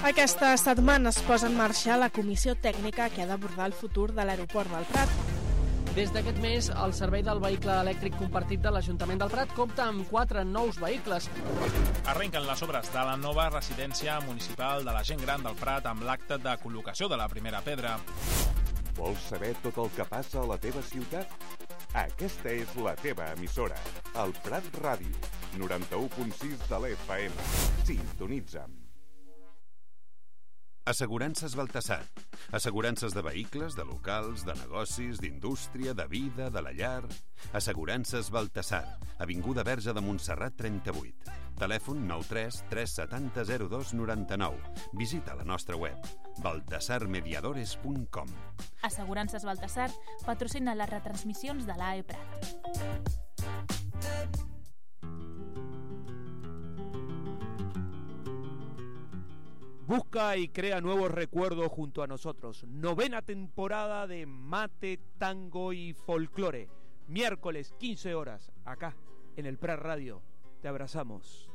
Aquesta setmana es posa en marxa la comissió tècnica que ha d'abordar el futur de l'aeroport del Prat. Des d'aquest mes, el servei del vehicle elèctric compartit de l'Ajuntament del Prat compta amb 4 nous vehicles. Arrenquen les obres de la nova residència municipal de la gent gran del Prat amb l'acte de col·locació de la primera pedra. Vols saber tot el que passa a la teva ciutat? Aquesta és la teva emissora, el Prat Ràdio, 91.6 de l'FM. Sintonitza'm. Assegurances Baltasar. Assegurances de vehicles, de locals, de negocis, d'indústria, de vida, de la llar. Assegurances Baltasar. Avinguda Verge de Montserrat 38. Telèfon 93 370 02 99. Visita la nostra web baltasarmediadores.com. Assegurances Baltasar patrocina les retransmissions de l'AE Prat. Busca y crea nuevos recuerdos junto a nosotros. 9ª temporada de Mate, Tango y Folclore. Miércoles, 15 horas, acá, en el Prat Radio. Te abrazamos.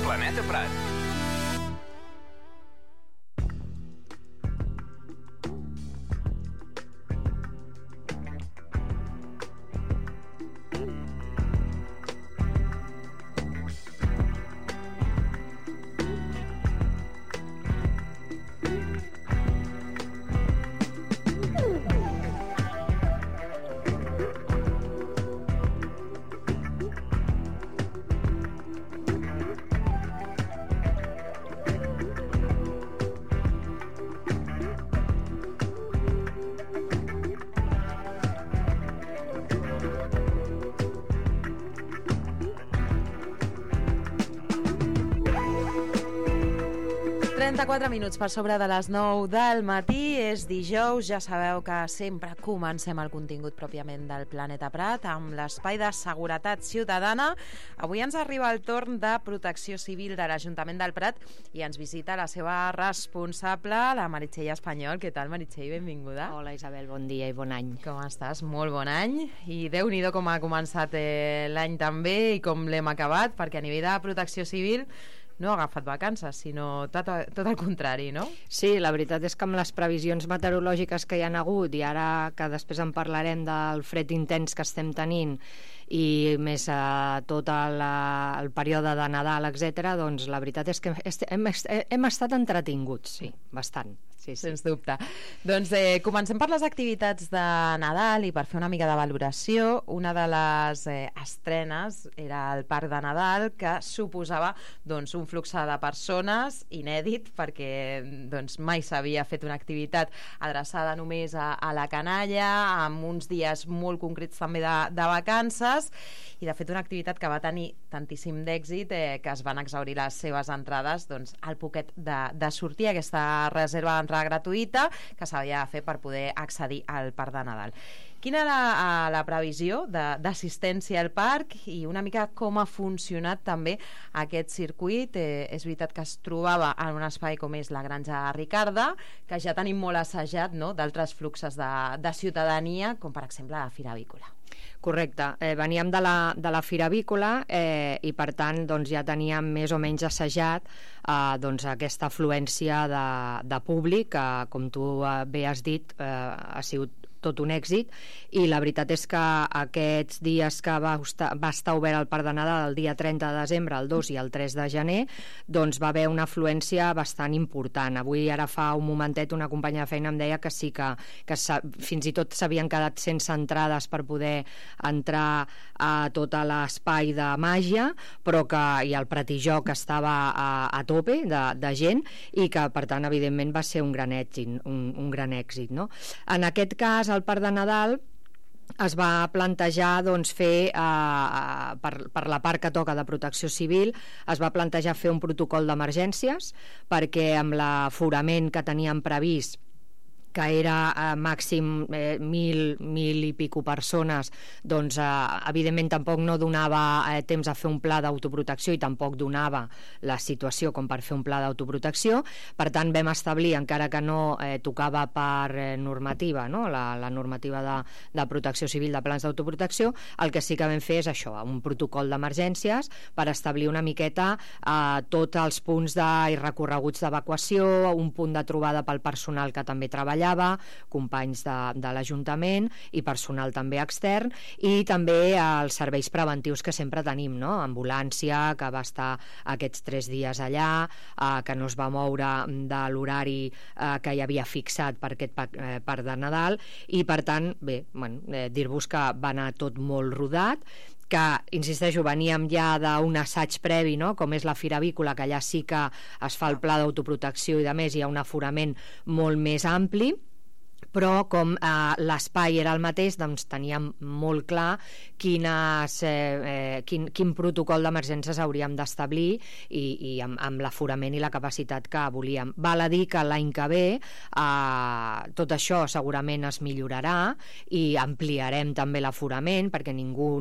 Planeta Prat. Minuts per sobre de les 9 del matí, és dijous, ja sabeu que sempre comencem el contingut pròpiament del Planeta Prat amb l'espai de seguretat ciutadana. Avui ens arriba el torn de Protecció Civil de l'Ajuntament del Prat i ens visita la seva responsable, la Meritxell Espanyol. Què tal, Meritxell? Benvinguda. Hola, Isabel, bon dia i bon any. Com estàs? Molt bon any. I Déu-n'hi-do com ha començat l'any també i com l'hem acabat, perquè a nivell de Protecció Civil no ha agafat vacances, sinó tot el contrari, no? Sí, la veritat és que amb les previsions meteorològiques que hi han hagut i ara que després en parlarem del fred intens que estem tenint i més tot el període de Nadal, etc., doncs la veritat és que hem estat entretinguts, sí, bastant. Sí. Sens dubte. Doncs comencem per les activitats de Nadal i per fer una mica de valoració. Una de les estrenes era el Parc de Nadal, que suposava doncs, un flux de persones inèdit, perquè doncs, mai s'havia fet una activitat adreçada només a la canalla, amb uns dies molt concrets també de vacances, i de fet una activitat que va tenir tantíssim d'èxit que es van exhaurir les seves entrades doncs, al poquet de sortir aquesta reserva d'entrada gratuïta que s'havia de fer per poder accedir al Parc de Nadal. Quina era la previsió d'assistència al parc i una mica com ha funcionat també aquest circuit? És veritat que es trobava en un espai com és la Granja Ricarda, que ja tenim molt assajat, no?, d'altres fluxes de ciutadania, com per exemple la Fira Avícola. Correcte, veníem de la Fira Avícola i per tant doncs, ja teníem més o menys assajat doncs, aquesta afluència de públic que, com tu bé has dit, ha sigut tot un èxit, i la veritat és que aquests dies que va estar obert el Parc de Nadal, el dia 30 de desembre, el 2 i el 3 de gener, doncs va haver una afluència bastant important. Avui, ara fa un momentet, una companya de feina em deia que sí, que fins i tot s'havien quedat sense entrades per poder entrar a tot l'espai de màgia, però que i el Pratijó que estava a tope de gent, i que per tant evidentment va ser un gran èxit, no? En aquest cas el Parc de Nadal es va plantejar doncs, fer per la part que toca de protecció civil, es va plantejar fer un protocol d'emergències, perquè amb l'aforament que teníem previst, que era màxim 1.000 i pico persones, doncs evidentment tampoc no donava temps a fer un pla d'autoprotecció i tampoc donava la situació com per fer un pla d'autoprotecció. Per tant, vam establir, encara que no tocava per normativa, no? la normativa de protecció civil de plans d'autoprotecció, el que sí que vam fer és això, un protocol d'emergències per establir una miqueta tots els punts i recorreguts d'evacuació, un punt de trobada pel personal que també treballava, companys de l'Ajuntament i personal també extern, i també els serveis preventius que sempre tenim, no? Ambulància, que va estar aquests 3 dies allà, que no es va moure de l'horari que hi havia fixat per aquest parc de Nadal, i per tant, bé, dir-vos que va anar tot molt rodat, que, insisteixo, veníem ja d'un assaig previ, no? Com és la Fira Avícola, que allà sí que es fa el pla d'autoprotecció i, a més, hi ha un aforament molt més ampli, però com l'espai era el mateix, doncs teníem molt clar quin protocol d'emergències hauríem d'establir i amb l'aforament i la capacitat que volíem. Val a dir que l'any que ve tot això segurament es millorarà i ampliarem també l'aforament perquè ningú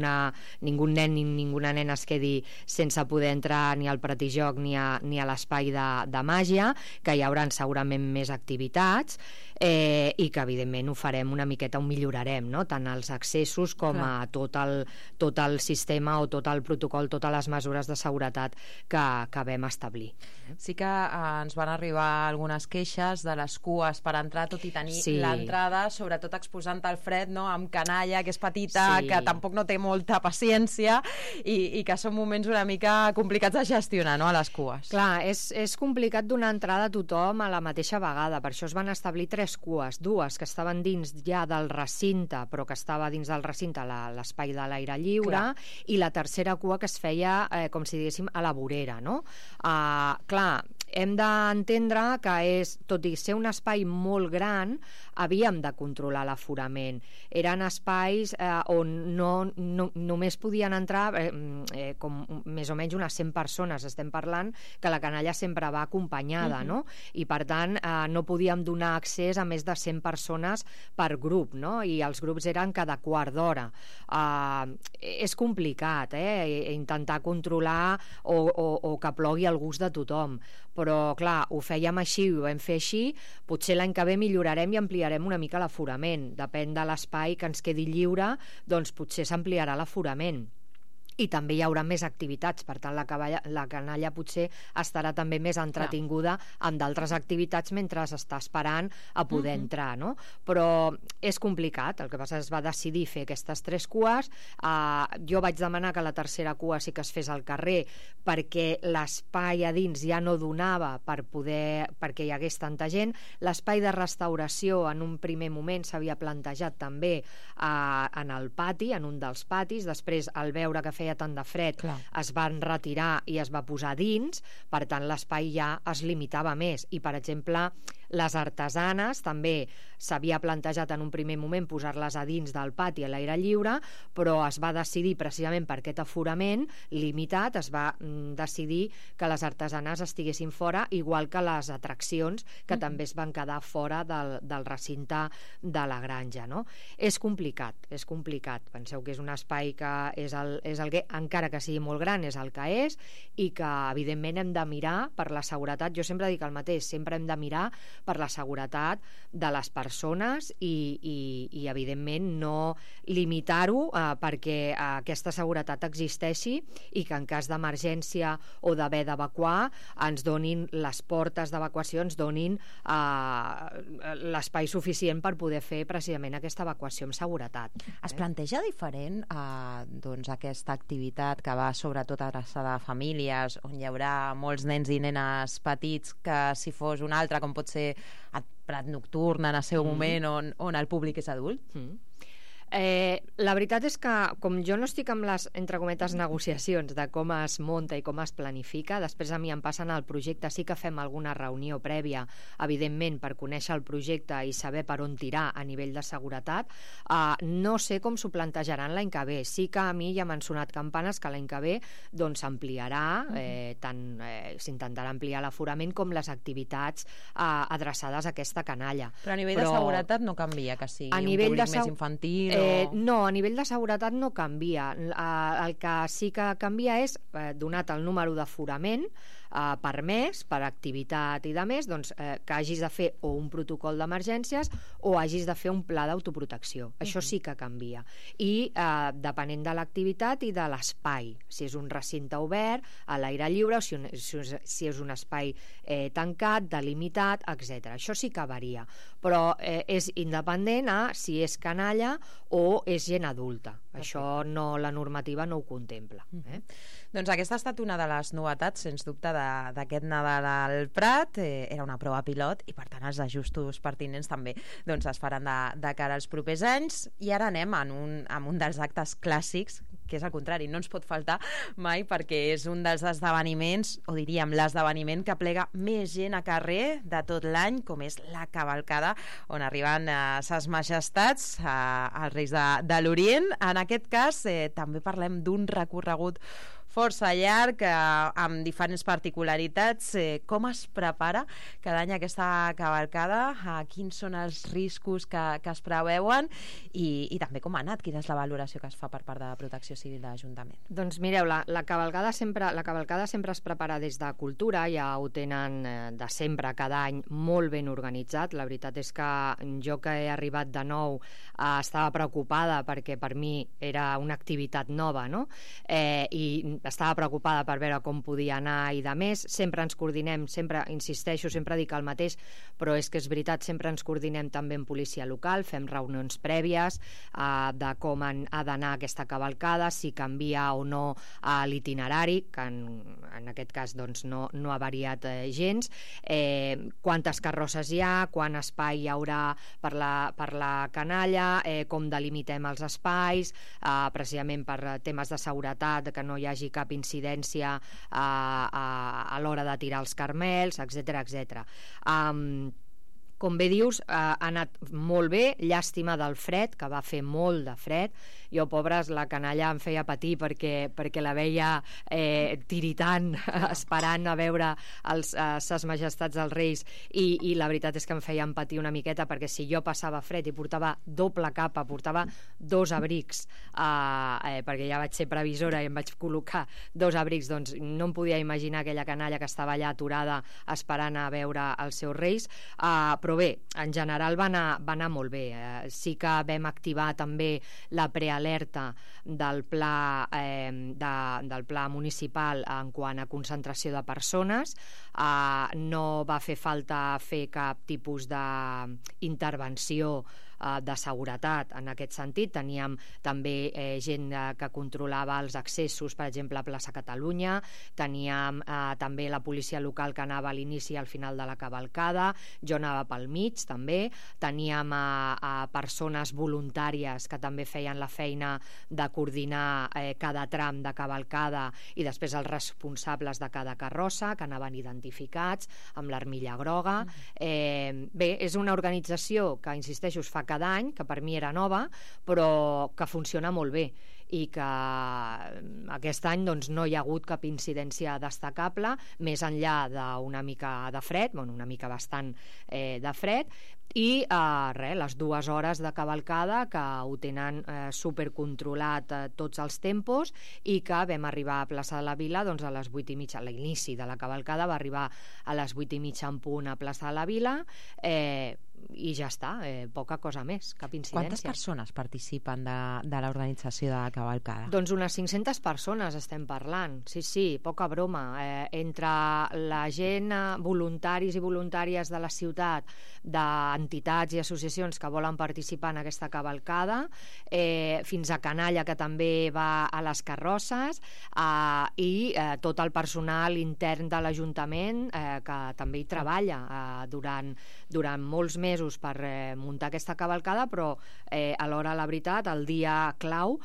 nen ni ninguna nena es quedi sense poder entrar ni al Pratijoc ni a l'espai de màgia, que hi haurà segurament més activitats, i que evidentment ho farem una miqueta, ho millorarem, no? Tant els accessos com a tot el sistema o tot el protocol, totes les mesures de seguretat que vam establir. Sí que ens van arribar algunes queixes de les cues per entrar, tot i tenir l'entrada, sobretot exposant el fred, no? Amb canalla, que és petita, que tampoc no té molta paciència i que són moments una mica complicats de gestionar, no? A les cues. Clar, és complicat donar entrada a tothom a la mateixa vegada, per això es van establir 3 cues, 2 que estaven dins ja del recinte, però que estava dins del recinte l'espai de l'aire lliure, i la tercera cua que es feia, com si diguéssim, a la vorera, no? Clar, hem d'entendre que tot i ser un espai molt gran, havíem de controlar l'aforament. Eren espais on només podien entrar com més o menys unes 100 persones. Estem parlant que la canalla sempre va acompanyada, no? I per tant no podíem donar accés a més de 100 persones per grup, no? I els grups eren cada quart d'hora. És complicat, intentar controlar o que plogui al gust de tothom, però clar, ho fèiem així, ho vam fer així. Potser l'any que ve millorarem i ampliarem una mica l'aforament, depèn de l'espai que ens quedi lliure, doncs potser s'ampliarà l'aforament. I també hi haurà més activitats, per tant la canalla potser estarà també més entretinguda amb d'altres activitats mentre està esperant a poder entrar, no? Però és complicat, el que passa és que es va decidir fer aquestes 3 cues. Jo vaig demanar que la tercera cua sí que es fes al carrer perquè l'espai a dins ja no donava perquè hi hagués tanta gent. L'espai de restauració en un primer moment s'havia plantejat també en el pati, en un dels patis. Després, al veure que feia tant de fred, es van retirar i es va posar dins, per tant l'espai ja es limitava més. I per exemple, les artesanes també s'havia plantejat en un primer moment posar-les a dins del pati a l'aire lliure, però es va decidir precisament per aquest aforament limitat, es va decidir que les artesanes estiguessin fora, igual que les atraccions, que també es van quedar fora del recinte de la granja, no? És complicat. Penseu que és un espai que és el que, encara que sigui molt gran, és el que és, i que evidentment hem de mirar per la seguretat. Jo sempre dic el mateix, sempre hem de mirar per la seguretat de les persones i evidentment no limitar-ho perquè aquesta seguretat existeixi i que en cas d'emergència o d'haver d'evacuar ens donin les portes d'evacuació, ens donin l'espai suficient per poder fer precisament aquesta evacuació amb seguretat. Es planteja diferent aquesta activitat que va sobretot adreçada a famílies on hi haurà molts nens i nenes petits que si fos una altra, com pot ser el Prat Nocturn en el seu moment on el públic és adult? La veritat és que, com jo no estic amb les, entre cometes, negociacions de com es munta i com es planifica, després a mi em passen al projecte, sí que fem alguna reunió prèvia, evidentment, per conèixer el projecte i saber per on tirar a nivell de seguretat. No sé com s'ho plantejaran l'any que ve. Sí que a mi ja m'han sonat campanes que l'any que ve doncs s'ampliarà, s'intentarà ampliar l'aforament com les activitats adreçades a aquesta canalla. Però a nivell de seguretat no canvia, que sigui un públic més infantil? No, a nivell de seguretat no canvia. El que sí que canvia és, donat el número d'aforament permès per activitat i de més, doncs, que hagis de fer o un protocol d'emergències o hagis de fer un pla d'autoprotecció. Això sí que canvia. I depenent de l'activitat i de l'espai, si és un recinte obert, a l'aire lliure, o si és un espai tancat, delimitat, etc. Això sí que varia, però és independent a si és canalla o és gent adulta. Això no, la normativa no ho contempla. Doncs aquesta ha estat una de les novetats, sens dubte, d'aquest Nadal al Prat. Era una prova pilot i, per tant, els ajustos pertinents també doncs, es faran de cara als propers anys. I ara anem en un dels actes clàssics, que és al contrari, no ens pot faltar mai, perquè és un dels esdeveniments, o diríem l'esdeveniment que plega més gent a carrer de tot l'any, com és la cavalcada, on arriben ses majestats, els reis de l'Orient. En aquest cas també parlem d'un recorregut força llarg, amb diferents particularitats. Com es prepara cada any aquesta cavalcada? Quins són els riscos que es preveuen? I també com ha anat? Quina és la valoració que es fa per part de Protecció Civil de l'Ajuntament? Doncs mireu, la cavalcada sempre es prepara des de Cultura, ja ho tenen de sempre, cada any, molt ben organitzat. La veritat és que jo, que he arribat de nou, estava preocupada perquè per mi era una activitat nova, no? I estava preocupada per veure com podia anar i de més. Sempre ens coordinem, sempre insisteixo, sempre dic el mateix, però és que és veritat, sempre ens coordinem també amb policia local, fem reunions prèvies de com ha d'anar aquesta cavalcada, si canvia o no l'itinerari, que en aquest cas doncs, no ha variat gens, quantes carrosses hi ha, quant espai hi haurà per la canalla, com delimitem els espais, precisament per temes de seguretat, que no hi hagi cap incidència a l'hora de tirar els carmels, etc. Com bé dius, ha anat molt bé. Llàstima del fred, que va fer molt de fred. Jo, pobres, la canalla em feia patir perquè la veia tiritant, esperant a veure ses majestats dels reis, i la veritat és que em feien patir una miqueta, perquè si jo passava fred i portava doble capa, portava 2 abrics, perquè ja vaig ser previsora i em vaig col·locar 2 abrics, doncs no em podia imaginar aquella canalla que estava allà aturada esperant a veure els seus reis. Però bé, en general va anar molt bé. Sí que vam activar també la prealerta del pla municipal en quant a concentració de persones. No va fer falta fer cap tipus d'intervenció de seguretat en aquest sentit. Teníem també gent que controlava els accessos, per exemple, a Plaça Catalunya. Teníem també la policia local que anava a l'inici i al final de la cavalcada. Jo anava pel mig, també. Teníem persones voluntàries que també feien la feina de coordinar cada tram de cavalcada, i després els responsables de cada carrossa, que anaven identificats amb l'armilla groga. Bé, és una organització que, insisteixo, es fa cada any, que per mi era nova, però que funciona molt bé, i que aquest any doncs, no hi ha hagut cap incidència destacable, més enllà d'una mica de fred, una mica bastant de fred, i les 2 hores de cavalcada que ho tenen supercontrolat tots els tempos, i que vam arribar a Plaça de la Vila doncs, a les 8:30. L'inici de la cavalcada va arribar a les 8:30 en punt a Plaça de la Vila, i ja està, poca cosa més, cap incidència. Quantes persones participen de l'organització de la cavalcada? Doncs unes 500 persones estem parlant, sí, poca broma. Entre la gent, voluntaris i voluntàries de la ciutat, entitats i associacions que volen participar en aquesta cavalcada, fins a Canalla, que també va a les carrosses, i tot el personal intern de l'Ajuntament que també hi treballa durant molts mesos per muntar aquesta cavalcada, però alhora, la veritat, el dia clau,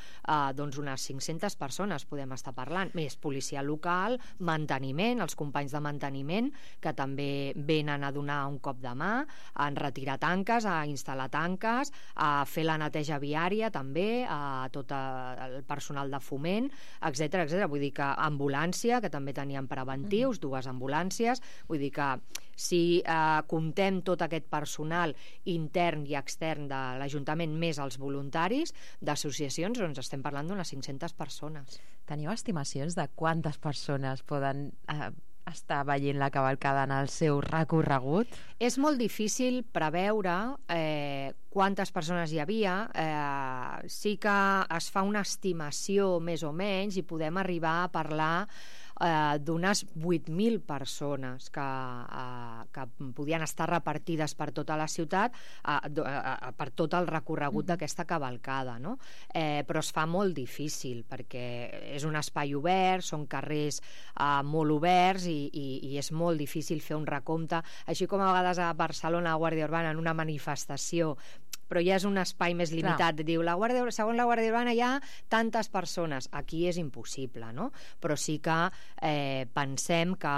doncs unes 500 persones podem estar parlant, més policia local, manteniment, els companys de manteniment que també venen a donar un cop de mà, a retirar tanques, a instal·lar tanques, a fer la neteja viària també, a tot el personal de foment, etc. Vull dir que ambulància, que també teníem preventius, 2 ambulàncies, vull dir que si comptem tot aquest personal intern i extern de l'Ajuntament més els voluntaris d'associacions, doncs estem parlant d'unes 500 persones. Teniu estimacions de quantes persones poden estar veient la cavalcada en el seu recorregut? És molt difícil preveure quantes persones hi havia. Sí que es fa una estimació més o menys i podem arribar a parlar d'unes 8.000 persones que podien estar repartides per tota la ciutat, per tot el recorregut d'aquesta cavalcada, no? Però es fa molt difícil perquè és un espai obert, són carrers molt oberts i és molt difícil fer un recompte, així com a vegades a Barcelona, a Guàrdia Urbana, en una manifestació, però ja és un espai més limitat. Diu, segons la Guàrdia Urbana hi ha tantes persones. Aquí és impossible, no? Però sí que pensem que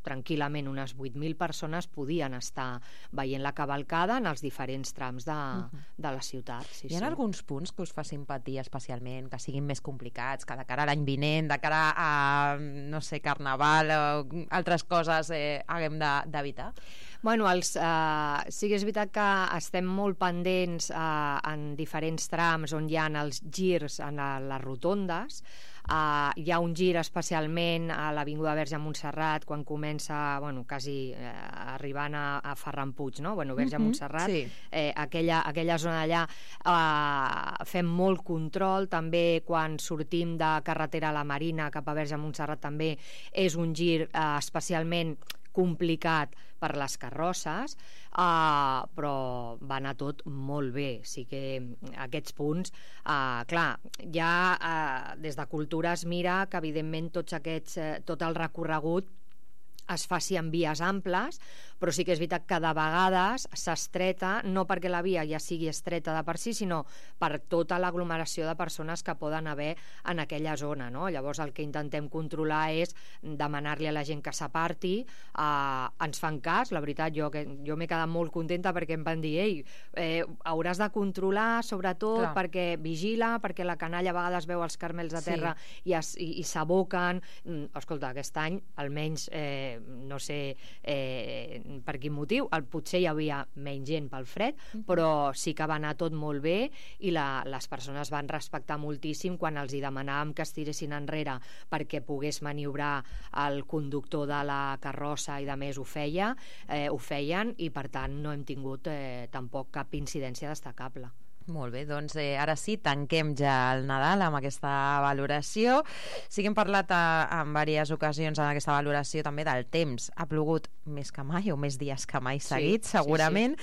tranquil·lament unes 8.000 persones podien estar veient la cavalcada en els diferents trams de la ciutat. Sí, hi ha alguns punts que us facin patir especialment, que siguin més complicats, que de cara a l'any vinent, de cara a, no sé, Carnaval o altres coses haguem d'evitar? Bueno, sí que és veritat que estem molt pendents en diferents trams on hi ha els girs en les rotondes. Hi ha un gir especialment a l'Avinguda Verge a Montserrat quan comença, quasi arribant a Ferran Puig, no? Verge a Montserrat, sí. Aquella zona d'allà fem molt control, també quan sortim de carretera a la Marina cap a Verge a Montserrat també és un gir especialment complicat per les carrosses, però va anar tot molt bé. Sí que aquests punts, clar, ja des de Cultura es mira que evidentment tot el recorregut es faci en vies amples, però sí que és veritat que de vegades s'estreta, no perquè la via ja sigui estreta de per si, sinó per tota l'aglomeració de persones que poden haver en aquella zona, no? Llavors el que intentem controlar és demanar-li a la gent que s'aparti, ens fan cas, la veritat jo m'he quedat molt contenta perquè em van dir hauràs de controlar sobretot perquè vigila, perquè la canalla a vegades veu els carmels a terra i s'aboquen. Escolta, aquest any almenys no sé per quin motiu, potser hi havia menys gent pel fred, però sí que va anar tot molt bé i les persones van respectar moltíssim quan els hi demanàvem que es tiressin enrere perquè pogués maniobrar el conductor de la carrossa i de més ho feien i per tant no hem tingut tampoc cap incidència destacable. Molt bé, doncs ara sí, tanquem ja el Nadal amb aquesta valoració. Sí que hem parlat en diverses ocasions en aquesta valoració també del temps. Ha plogut més que mai o més dies que mai seguits, segurament.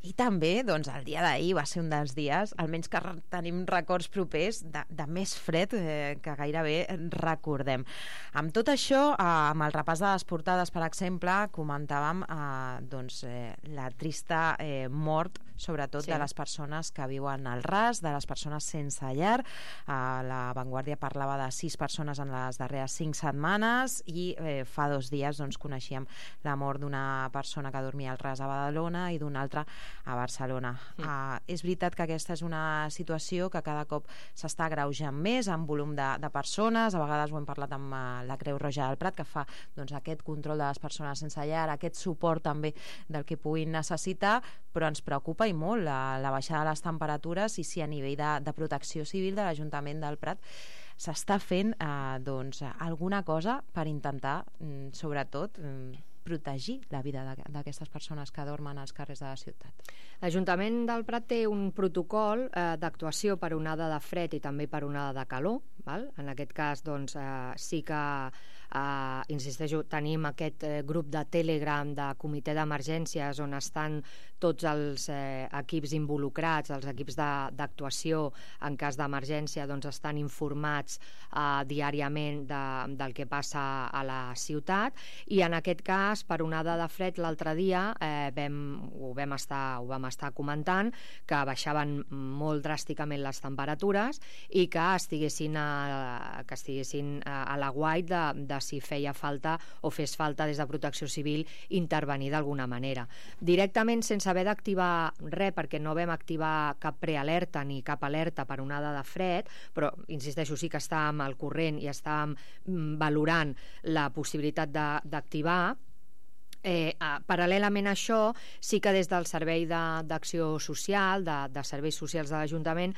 I també, doncs, el dia d'ahir va ser un dels dies, almenys que tenim records propers, de més fred que gairebé recordem. Amb tot això, amb el repàs de les portades, per exemple, comentàvem la trista mort, sobretot de les persones que viuen al ras, de les persones sense llar. La Vanguardia parlava de 6 persones en les darreres 5 setmanes i fa 2 dies coneixíem la mort d'una persona que dormia al ras a Badalona i d'una altra a Barcelona. És veritat que aquesta és una situació que cada cop s'està agreujant més en volum de persones. A vegades ho hem parlat amb la Creu Roja del Prat, que fa aquest control de les persones sense llar, aquest suport també del que puguin necessitar, però ens preocupa i molt la baixada de les temperatures i si a nivell de protecció civil de l'Ajuntament del Prat s'està fent alguna cosa per intentar, sobretot, protegir la vida d'aquestes persones que dormen als carrers de la ciutat. L'Ajuntament del Prat té un protocol d'actuació per onada de fred i també per onada de calor. Val? En aquest cas, doncs, sí que insisteixo, tenim aquest grup de Telegram de comitè d'emergències on estan tots els equips involucrats, els equips d'actuació en cas d'emergència, doncs estan informats diàriament del que passa a la ciutat, i en aquest cas, per onada de fred, l'altre dia ho vam estar comentant, que baixaven molt dràsticament les temperatures i que estiguessin a l'aguait de si feia falta o fes falta des de Protecció Civil intervenir d'alguna manera. Directament sense haver d'activar res, perquè no vam activar cap prealerta ni cap alerta per onada de fred, però insisteixo, sí que estàvem al corrent i estàvem valorant la possibilitat d'activar. Paral·lelament a això, sí que des del Servei d'Acció Social, de Serveis Socials de l'Ajuntament,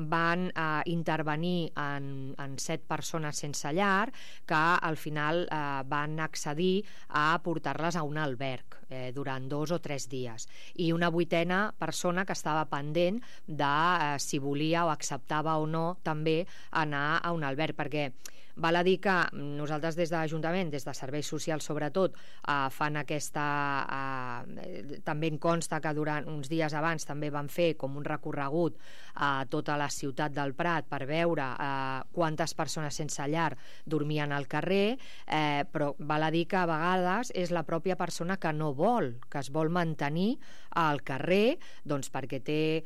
van intervenir en 7 persones sense llar que al final van accedir a portar-les a un alberg durant 2 o 3 dies, i una 8a persona que estava pendent de si volia o acceptava o no també anar a un alberg, perquè val a dir que nosaltres des de l'Ajuntament, des de Serveis Socials sobretot, fan aquesta... també en consta que durant uns dies abans també van fer com un recorregut a tota la ciutat del Prat per veure quantes persones sense llar dormien al carrer, però val a dir que a vegades és la pròpia persona que no vol, que es vol mantenir al carrer, doncs perquè té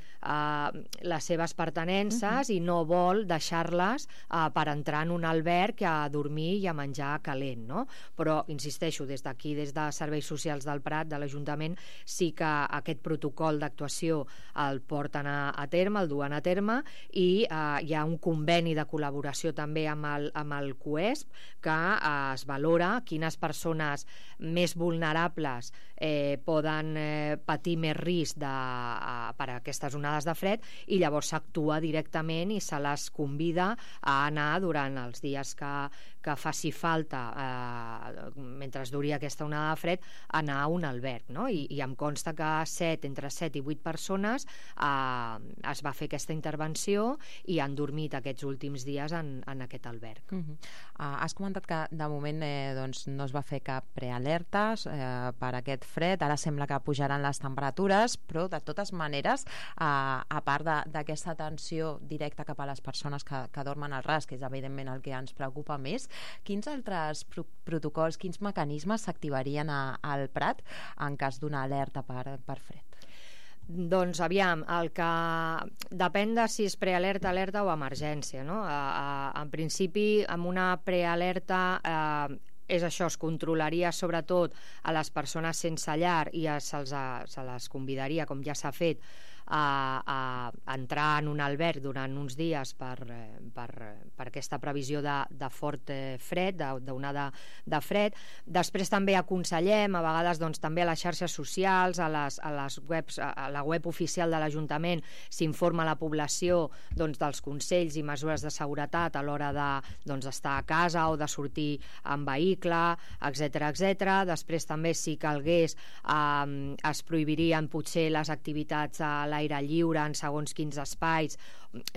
les seves pertinences i no vol deixar-les per entrar en un alberg a dormir i a menjar calent, no? Però, insisteixo, des d'aquí, des de Serveis Socials del Prat, de l'Ajuntament, sí que aquest protocol d'actuació el porten a terme, el duen a terme, i hi ha un conveni de col·laboració també amb el CUESP, que es valora quines persones més vulnerables poden patir més risc per aquestes onades de fred, i llavors s'actua directament i se les convida a anar durant els dies que faci falta, mentre duri aquesta onada de fred, anar a un alberg, no? I em consta que entre 7 i 8 persones es va fer aquesta intervenció i han dormit aquests últims dies en aquest alberg. Has comentat que de moment doncs, no es va fer cap prealertes per aquest fred, ara sembla que pujaran les temperatures, però de totes maneres, a part d'aquesta atenció directa cap a les persones que dormen al ras, que és evidentment el que ens preocupa més, quins altres protocols, quins mecanismes s'activarien al Prat en cas d'una alerta per fred? Doncs aviam, el que depèn de si és prealerta, alerta o emergència, no? En principi, amb una prealerta és això, es controlaria sobretot a les persones sense llar i se les convidaria, com ja s'ha fet, a entrar en un alberg durant uns dies per aquesta previsió de fort fred, d'onada de fred. Després també aconsellem, a vegades doncs, també a les xarxes socials, a la web oficial de l'Ajuntament s'informa a la població doncs, dels consells i mesures de seguretat a l'hora d'estar a casa o de sortir en vehicle, etc. Després també, si calgués, es prohibirien potser les activitats a l'aire lliure en segons quins espais.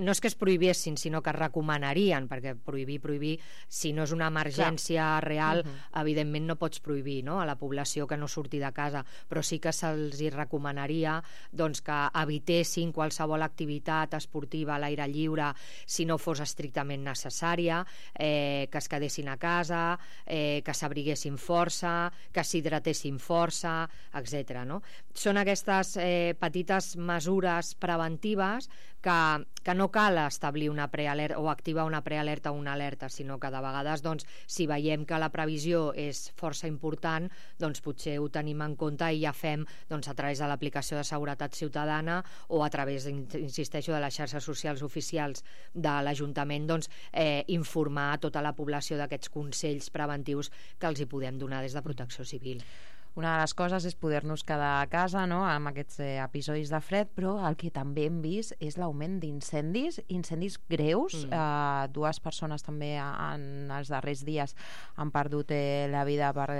No és que es prohibessin, sinó que es recomanarien, perquè prohibir, si no és una emergència real, evidentment no pots prohibir, no?, a la població que no surti de casa, però sí que se'ls recomanaria doncs, que evitessin qualsevol activitat esportiva a l'aire lliure si no fos estrictament necessària, que es quedessin a casa, que s'abriguessin força, que s'hidratessin força, etc. No? Són aquestes petites mesures preventives que no cal establir una prealerta o activar una prealerta o una alerta, sinó que de vegades, doncs, si veiem que la previsió és força important, doncs potser ho tenim en compte i ja fem doncs, a través de l'aplicació de seguretat ciutadana o a través, insisteixo, de les xarxes socials oficials de l'Ajuntament, doncs, informar a tota la població d'aquests consells preventius que els hi podem donar des de Protecció Civil. una de les coses és poder-nos quedar a casa, no?, amb aquests episodis de fred, però el que també hem vist és l'augment d'incendis greus. Dues persones també en els darrers dies han perdut la vida per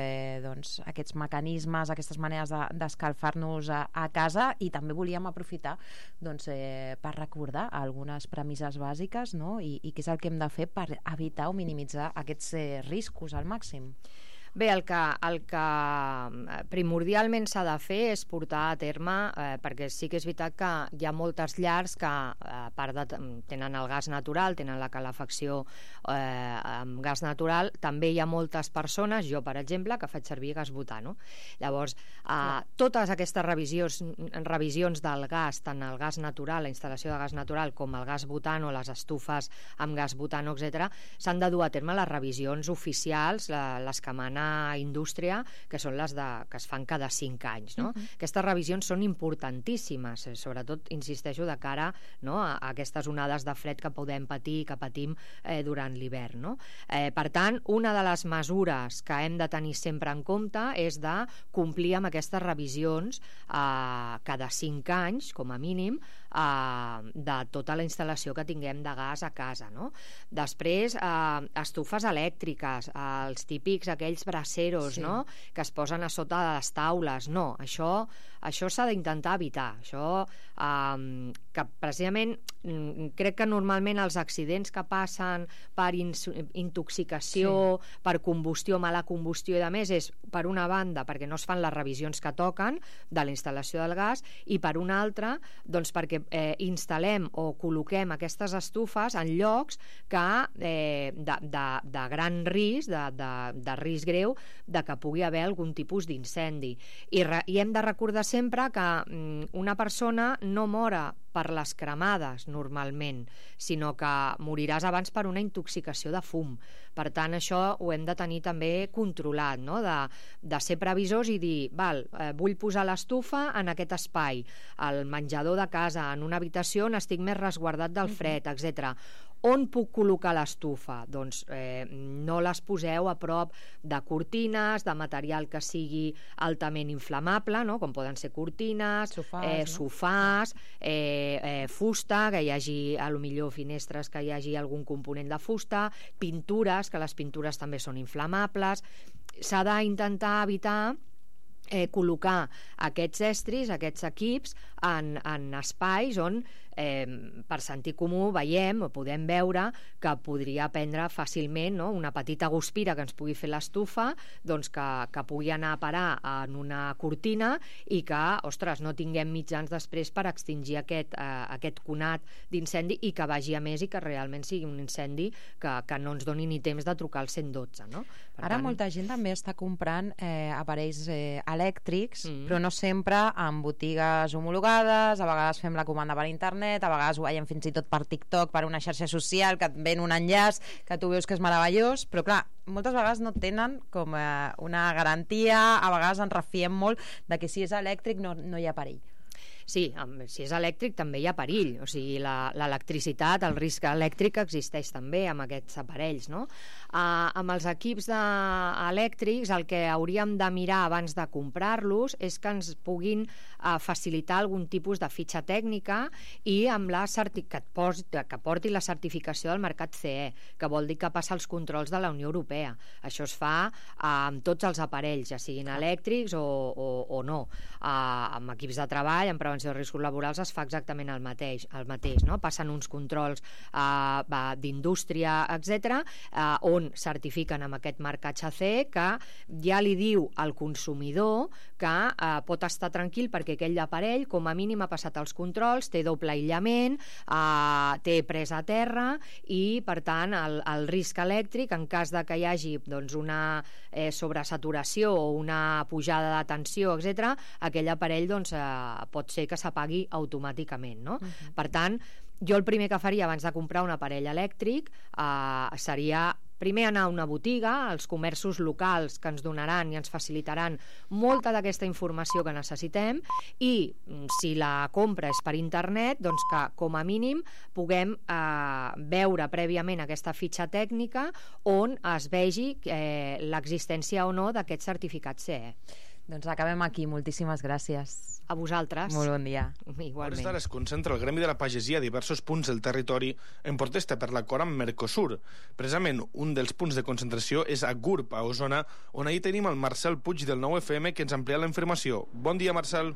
doncs, aquests mecanismes, aquestes maneres d'escalfar-nos a casa, i també volíem aprofitar doncs, per recordar algunes premisses bàsiques, no?, i què és el que hem de fer per evitar o minimitzar aquests riscos al màxim. Bé, el que primordialment s'ha de fer és portar a terme, perquè sí que és veritat que hi ha moltes llars que, a part tenen el gas natural, tenen la calefacció amb gas natural, també hi ha moltes persones, jo per exemple, que faig servir gas butano. Llavors, totes aquestes revisions del gas, tant el gas natural, la instal·lació de gas natural, com el gas butano, les estufes amb gas butano, etc., s'han de dur a terme les revisions oficials, les que mana indústria, que són les que es fan cada 5 anys, no? Aquestes revisions són importantíssimes, sobretot, insisteixo, de cara, no?, a aquestes onades de fred que podem patir, que patim durant l'hivern, no? Per tant, una de les mesures que hem de tenir sempre en compte és de complir amb aquestes revisions cada 5 anys, com a mínim, de tota la instal·lació que tinguem de gas a casa, no? Després, estufes elèctriques, els típics aquells braseros, no?, que es posen a sota de les taules. No, això s'ha d'intentar evitar. Això, que precisament crec que normalment els accidents que passen per intoxicació, per combustió, mala combustió i de més, és per una banda perquè no es fan les revisions que toquen de la instal·lació del gas, i per una altra doncs perquè instal·lem o col·loquem aquestes estufes en llocs que de gran risc, de risc greu de que pugui haver algun tipus d'incendi. I hem de recordar sempre que una persona no mora per les cremades normalment, sinó que moriràs abans per una intoxicació de fum. Per tant, això ho hem de tenir també controlat, no?, de ser previsors i dir, vull posar l'estufa en aquest espai, al menjador de casa, en una habitació on estic més resguardat del fred, etc. On puc col·locar l'estufa? Doncs no les poseu a prop de cortines, de material que sigui altament inflamable, no?, com poden ser cortines, sofàs, fusta, que hi hagi potser finestres que hi hagi algun component de fusta, pintures, que les pintures també són inflamables. S'ha d'intentar evitar col·locar aquests estris, aquests equips en espais on per sentit comú veiem o podem veure que podria prendre fàcilment, no?, una petita guspira que ens pugui fer l'estufa, doncs que pugui anar a parar en una cortina i que, ostres, no tinguem mitjans després per extingir aquest conat d'incendi i que vagi a més i que realment sigui un incendi que no ens doni ni temps de trucar al 112, no? Ara molta gent també està comprant aparells elèctrics, però no sempre en botigues homologades, a vegades fem la comanda per internet, a vegades ho veiem fins i tot per TikTok, per una xarxa social, que et ven un enllaç que tu veus que és meravellós, però clar, moltes vegades no tenen com una garantia, a vegades ens refiem molt de que si és elèctric no hi ha perill. Sí, si és elèctric també hi ha perill, o sigui, l'electricitat, el risc elèctric existeix també amb aquests aparells, no? Amb els equips elèctrics el que hauríem de mirar abans de comprar-los és que ens puguin facilitar algun tipus de fitxa tècnica i amb que porti la certificació del mercat CE, que vol dir que passa els controls de la Unió Europea. Això es fa amb tots els aparells, ja siguin elèctrics o no. Amb equips de treball, en prevenció de riscos laborals, es fa exactament el mateix, no? Passen uns controls d'indústria, etc., on certifiquen amb aquest marcatge CE que ja li diu al consumidor que pot estar tranquil perquè aquell aparell com a mínim ha passat els controls, té doble aïllament, té presa a terra i per tant el risc elèctric, en cas de que hi hagi doncs, una sobresaturació o una pujada de tensió, etc., aquell aparell doncs, pot ser que s'apagui automàticament, no? Per tant, jo el primer que faria abans de comprar un aparell elèctric seria primer anar a una botiga, als comerços locals que ens donaran i ens facilitaran molta d'aquesta informació que necessitem, i si la compra és per internet, doncs que com a mínim puguem veure prèviament aquesta fitxa tècnica on es vegi l'existència o no d'aquest certificat CE. Doncs acabem aquí. Moltíssimes gràcies. A vosaltres. Molt bon dia. Igualment. A hores d'ara es concentra el Gremi de la Pagesia a diversos punts del territori en protesta per l'acord amb Mercosur. Precisament un dels punts de concentració és a Gurb, a Osona, on ahir tenim el Marcel Puig del 9FM que ens amplia la informació. Bon dia, Marcel.